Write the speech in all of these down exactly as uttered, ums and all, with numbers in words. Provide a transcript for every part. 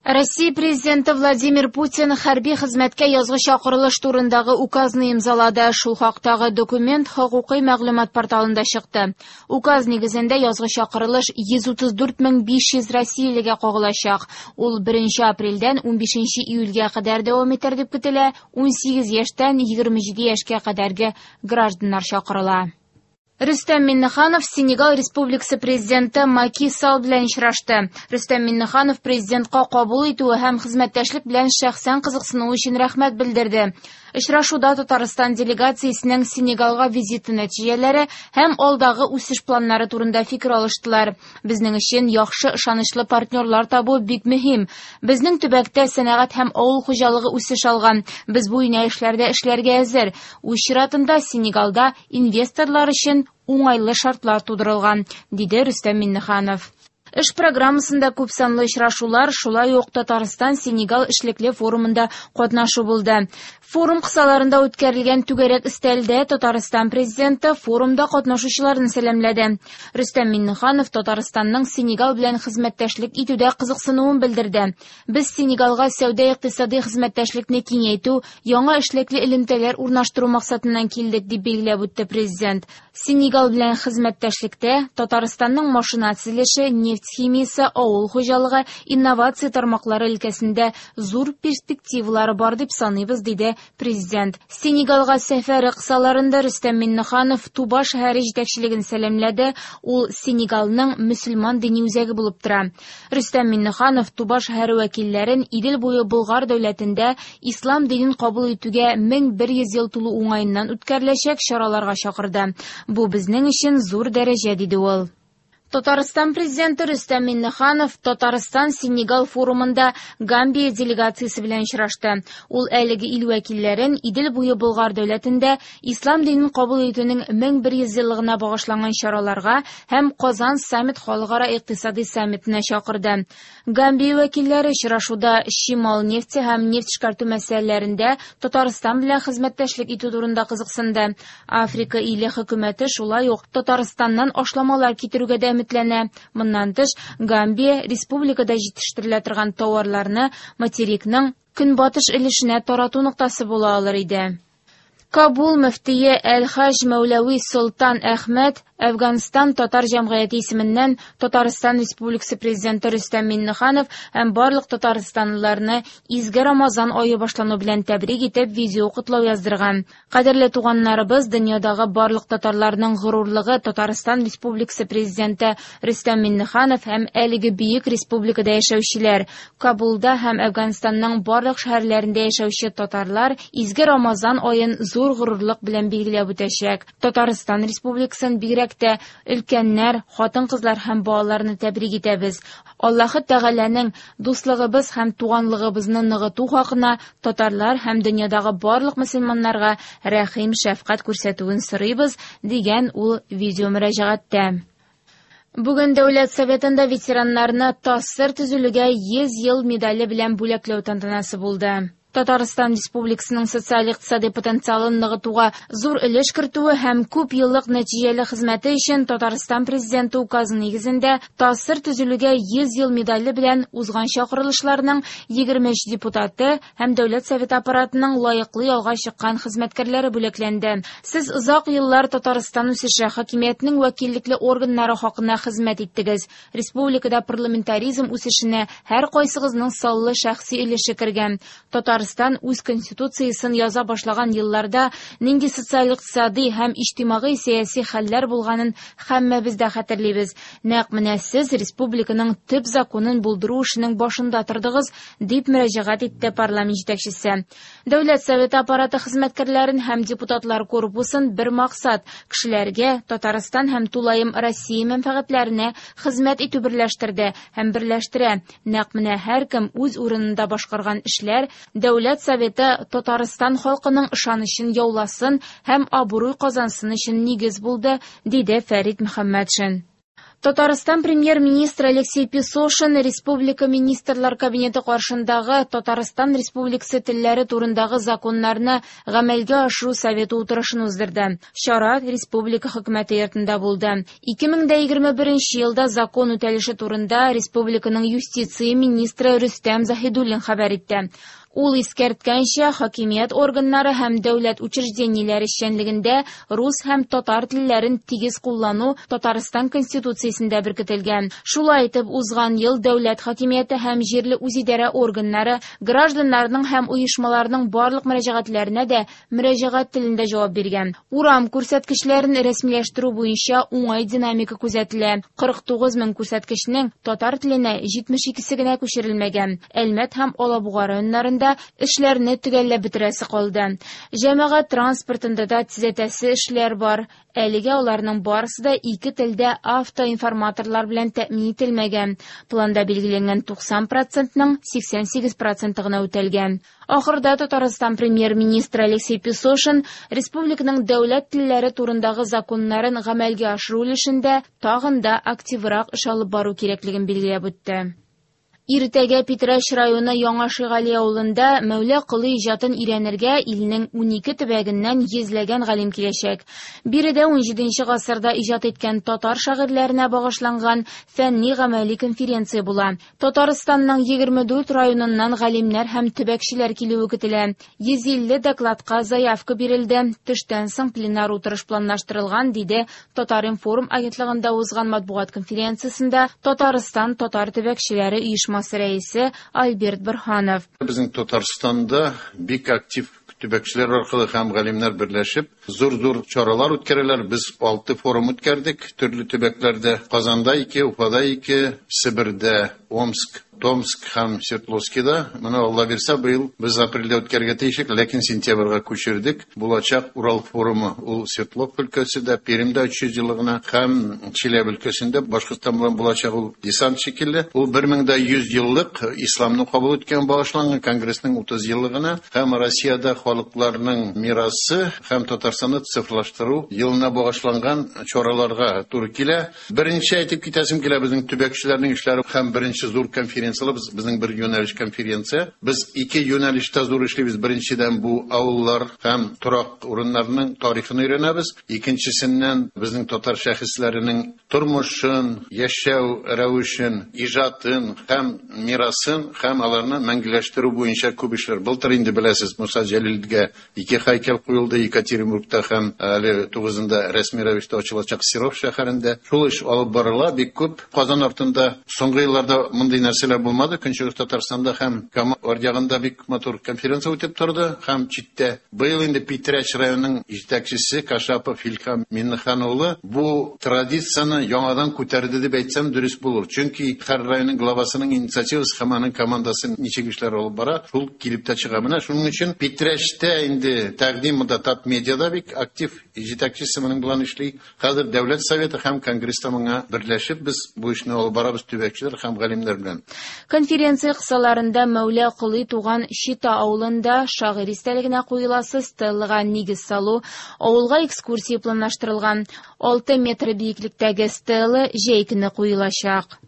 Россия президенты Владимир Путин хәрби хезмәткә язгы чакырылыш турындагы указны имзалады. Шул хактагы документ хокукый мәгълүмат порталында чыкты. Указ нигезендә язгы чакырылыш йөз утыз дүрт мең биш йөз россиялегә кагылачак. Ул беренче апрельдән унбишенче июльгә кадәр дәвам итәр дип көтелә. Унсигез яшьтән егерме җиде яшькә кадәрге гражданнар чакырыла. Рөстәм Миңнеханов Сенегал Республикасы президенты Маки Салл белән очрашты. Рөстәм Миңнеханов президентка кабул итүе һәм хезмәттәшлек белән шәхсән кызыксынуы өчен рәхмәт белдерде. Очрашуда Татарстан делегациясенең Сенегалга визиты нәтиҗәләре һәм алдагы үсеш планнары турында фикер алыштылар. Безнең өчен яхшы ышанычлы партнерлар табу бик мөһим. Безнең төбәктә сәнәгать һәм авыл хуҗалыгы үсеш алган. Без бу юнәлешләрдә эшләргә әзер. Үз чиратында Сенегалда инвесторлар өчен уңайлы шартлар тудырылган, диде Рөстәм Миңнеханов. Эш программасында күп санлы очрашулар, шулай ук Татарстан Сенегал эшлекле форумында катнашу булды. Форум кысаларында үткәрелгән түгәрәк өстәлдә Татарстан президенты форумда катнашучыларны сәламләде. Рөстәм Миңнеханов Татарстанның Сенегал белән хезмәттәшлек итүдә кызыксынуын белдерде. Без Сенегалга сәүдә-икътисади хезмәттәшлекне киңәйтү, яңа эшлекле элемтәләр урнаштыру максатыннан килдек, дип билгеләп үтте президент. Сенегал белән хезмәттәшлектә Татарстанның машина төзелеше, нефть химиясе, авыл хуҗалыгы, инновация тармаклары өлкәсендә зур перспективалары бар дип саныйбыз, диде президент. Сенегалга сәфәре кысаларында Рөстәм Миңнеханов Туба шәһәре җитәкчелеген сәламләде. Ул Сенегалның мөселман дини үзәге булып тора. Рөстәм Миңнеханов Туба шәһәре вәкилләрен Идел буе Болгар дәүләтендә ислам динен кабул итүгә мең бер йөз ел тулу уңаеннан үткәреләчәк чараларга чакырды. Бу безнең өчен зур дәрәҗә, диде ул. Татарстан президенты Рөстәм Миңнеханов Татарстан Сенегал форумында Гамбия делегациясе белән очрашты. Ул әлеге ил вәкилләрен Идел буе Болгар дәүләтендә ислам динен кабул итүнең мең бер йөз еллыгына багышланган чараларга һәм Казан саммит халыкара икътисади саммитына чакырды. Гамбия вәкилләре очрашуда чимал нефте һәм нефть эшкәртү мәсьәләләрендә Татарстан белән хезмәттәшлек итү турында кызыксынды. Африка иле хөкүмәте шулай ук Татарстаннан ашламалар китерүгә дә өметләнә. Моннан тыш, Гамбия республикада җитештерелә торган товарларны материкның көнбатыш өлешенә тарату ноктасы була алыр иде. Кабул мөфтие Әл-Хаҗ Мәүләви Солтан Әхмәт Әфганстан татар җәмгыяте исеменнән Татарстан Республикасы президенты Рөстәм Миңнеханов һәм барлык татарстанлыларны изге Рамазан ае башлану белән тәбрик итеп видео котлау яздырган. Кадерле туганнарыбыз, дөньядагы барлык татарларның горурлыгы Татарстан Республикасы президенты Рөстәм Миңнеханов һәм әлеге бөек республикада яшәүчеләр, Кабулда һәм Әфганстанның барлык шәһәрләрендә яшәүче татарлар изге Рамазан аен зур горурлык белән билгеләп үтәчәк. Татарстан Республикасын бигрәк тә өлкәннәр, хатын-кызлар һәм балаларны тәбрик итәбез. Аллаһы Тәгаләнең дуслыгыбыз һәм туганлыгыбызны ныгыту хакына татарлар һәм дөньядагы барлык мөселманнарга рәхим, шәфкать күрсәтүен сорыйбыз, дигән ул видео мөрәҗәгатьтә. Бүген Дәүләт Советында ветераннарны ТАССР төзелүгә йөз ел медале белән бүләкләү тантанасы булды. Татарстан Республикасының социаль-икътисади потенциалын ныгытуга зур өлеш кертүе һәм күп еллык нәтиҗәле хезмәте өчен Татарстан президенты указы нигезендә ТАССР төзелүгә йөз ел медале белән узган чакырылышларның егерме өч депутаты һәм Дәүләт Советы аппаратының лаеклы ялга чыккан хезмәткәрләре бүләкләнде. Сез озак еллар Татарстан үсеше хакимиятенең вәкиллекле органнары хакына хезмәт иттегез. Республикада парламентаризм үсешенә һәр кайсыгызның саллы шәхси өлеше кергән. Татарстан үз конституциясын яза башлаган елларда нинди социаль-икътисади һәм иҗтимагый-сәяси хәлләр булганын һәммәбез дә хәтерлибез. Нәкъ менә сез республиканың төп законын булдыру эшенең башында тордыгыз, дип мөрәҗәгать итте парламент җитәкчесе. Дәүләт Советы аппараты хезмәткәрләрен һәм депутатлар корпусын бер максат кешеләргә Татарстан һәм тулаем Россия мәнфәгатьләренә хезмәт итү берләштерде һәм берләштерә. Нәкъ менә һәркем үз урынында башкарган эшләр Дәүләт Советы Татарстан халкының ышанычын яуласын һәм абруй казансын өчен нигез булды, диде Фәрит Мөхәммәтшин. Татарстан премьер-министры Алексей Песошин Республика Министрлар Кабинеты каршындагы Татарстан Республикасы телләре турындагы законнарны гамәлгә ашыру советы утырышын уздырды. Чара Республика хөкүмәте йортында булды. ике мең егерме беренче елда закон үтәлеше турында республиканың юстиция министры Рөстәм Заһидуллин хәбәр итте. Ул искәрткәнчә, хакимият органнары һәм дәүләт учреждениеләре эшчәнлегендә рус һәм татар телләрен тигез куллану Татарстан Конституциясендә беркетелгән. Шулай итеп, узган ел дәүләт хакимияте һәм җирле үзидарә органнары гражданнарның һәм оешмаларның барлык мөрәҗәгатьләренә дә мөрәҗәгать телендә җавап биргән. Урам күрсәткечләрен рәсмиләштерү буенча уңай динамика күзәтелә. кырык тугыз мең күрсәткечнең татар теленә җитмеш икесе генә күчерелмәгән. Әлмәт һәм Алабуга районнарында эшләрне төгәлләп бетерәсе калды. Җәмәгать транспортында да төзәтәсе эшләр бар. Әлегә аларның барысы да ике телдә автоинформаторлар белән тәэмин ителмәгән. Планда билгеләнгән туксан процентның сиксән сигез проценты гына үтәлгән. Ахырда Татарстан премьер-министры Алексей Песошин республиканың дәүләт телләре турындагы законнарын гамәлгә ашыру өлешендә тагын да активрак эш алып бару кирәклеген билгеләп үтте. Иртәгә Питрәч районы Яңа Шигали авылында Мәүлә Колый иҗатын өйрәнергә илнең унике төбәгеннән йөзләгән галим киләчәк. Биредә унҗиденче гасырда иҗат иткән татар шагыйрьләренә багышланган фәнни гамәли конференция була. Татарстанның егерме дүрт районыннан галимнәр һәм төбәкчеләр килүе көтелә. Йөз илле докладка заявка бирелде. Төштән соң пленар утырыш планлаштырылган, диде Татар-информ агентлыгында узган матбугат конференциясендә Татарстан татар төбәкчеләре оешмасы рәисе Альберт Борһанов. Безнең Татарстанда бик актив төбәкчеләр аркылы һәм галимнәр берләшеп зур-зур чаралар үткәрәләр. Без алты форум үткәрдек төрле төбәкләрдә. Казанда ике, Уфада ике, Себердә, Омск, Томск һәм Свердловскида. Моны Алла бирсә, быел без апрельдә үткәрергә тиешлек, ләкин сентябрьгә күчердек. Булачак Урал форумы ул Свердлов өлкәсендә, Пермьдә өч йөз еллыгына һәм Чиләбе өлкәсендә, Башкортстан белән булачак ул десант шикелле. Ул бер мең дә йөз еллык исламны кабул иткән багышланган конгрессның утыз еллыгына һәм Россиядә халыкларның мирасы һәм Татарстанны цифрлаштыру елына багышланган чараларга туры килә. Беренче әйтеп китәсем килә, безнең төбәкчеләрнең эшләре һәм беренче зур конференция без, безнең бер юнәлеш конференция. Без ике юнәлештә зур эшлибез. Беренчедән бу авыллар һәм торак урыннарының тарихын өйрәнәбез. Икенчесеннән безнең татар шәхесләренең тормышын, яшәү рәвешен, иҗатын һәм мирасын һәм аларны мәңгеләштерү буенча күп эшләр. Былтыр инде беләсез, Муса Җәлилгә ике һәйкәл куелды Екатеринбургта һәм әле тугызында рәсми рәвештә ачылачак Серов шәһәрендә. Шул эш алып барыла бик күп. Казан артында соңгы елларда мондый нәрсәләр булмады. Көнчыгыш Татарстанда һәм Кама аръягында бик матур конференция үтеп торды һәм читтә. Быел инде Питрәч районының җитәкчесе Кашапов Илһам Миннехан улы бу традицияне яңадан күтәрде дип әйтсәм дөрес булыр. Чөнки һәр районның главасының инициативасы һәм аның командасы ничек эшләр алып бара, шул килеп тә чыга. Менә шуның өчен Питрәчтә инде тәкъдим монда Татмедиада бик актив җитәкчесе моның белән эшли. Хәзер Дәүләт Советы һәм Конгресста моңа берләшеп без бу эшне алып барабыз төбәкчеләр һәм галимнәр белән. Конференция кысаларында Мәүлә Колый туган Чита авылында шагыйрь истәлегенә куеласы стеллага нигез салу, авылга экскурсия планлаштырылган. Алты метр биеклектәге стела җәй көне куелачак.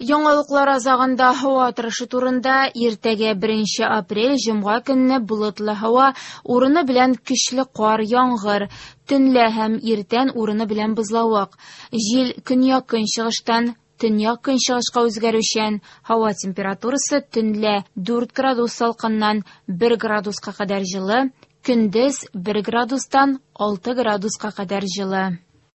Яңалыклар азагында һава торышы турында. Иртәгә беренче апрель җомга көнне болытлы һава, урыны белән көчле кар, яңгыр, төнлә һәм иртән урыны белән бозлавык. Җил көньяк-көнчыгыштан төньяк-көнчыгышка үзгәрүчән. Һава температурасы төнлә дүрт градус салкыннан бер градуска кадәр җылы, көндез бер градустан алты градуска кадәр җылы.